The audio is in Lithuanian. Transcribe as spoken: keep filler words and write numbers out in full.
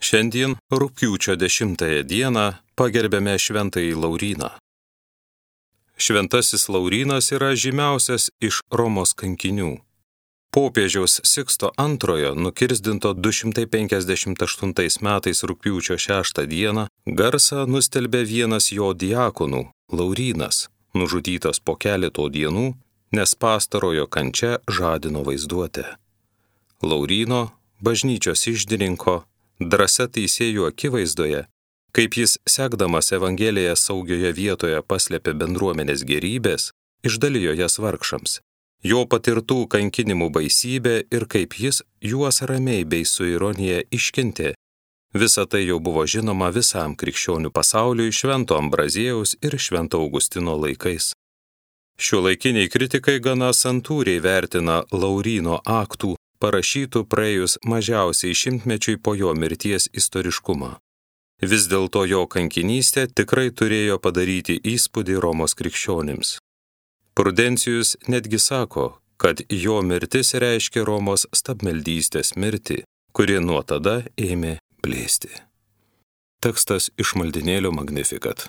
Šiandien rugpjūčio dešimtąją dieną pagerbėme šventąjį Lauryną. Šventasis Laurynas yra žymiausias iš Romos kankinių. Popiežiaus Siksto antrojo nukirsdinto du šimtai penkiasdešimt aštuntais metais rugpjūčio šeštą dieną garsą nustelbė vienas jo diakonų, Laurynas, nužudytas po keleto dienų, nes pastarojo kančia žadino vaizduotę. Lauryno, bažnyčios iždininko, drąsa teisėjų akivaizdoje, kaip jis sekdamas Evangeliją saugioje vietoje paslėpė bendruomenės gerybės, išdalijo jas vargšams. Jo patirtų kankinimų baisybė ir kaip jis juos ramiai bei su ironija iškentė. Visa tai jau buvo žinoma visam krikščionių pasauliui Švento Ambraziejaus ir Švento Augustino laikais. Šiuolaikiniai kritikai gana santūriai vertina Lauryno aktų, parašytų praėjus mažiausiai šimtmečiui po jo mirties istoriškumą. Vis dėlto jo kankinystė tikrai turėjo padaryti įspūdį Romos krikščionims. Prudencijus netgi sako, kad jo mirtis reiškia Romos stabmeldystės mirtį, kuri nuo tada ėmė blėsti. Tekstas iš maldynėlio Magnificat.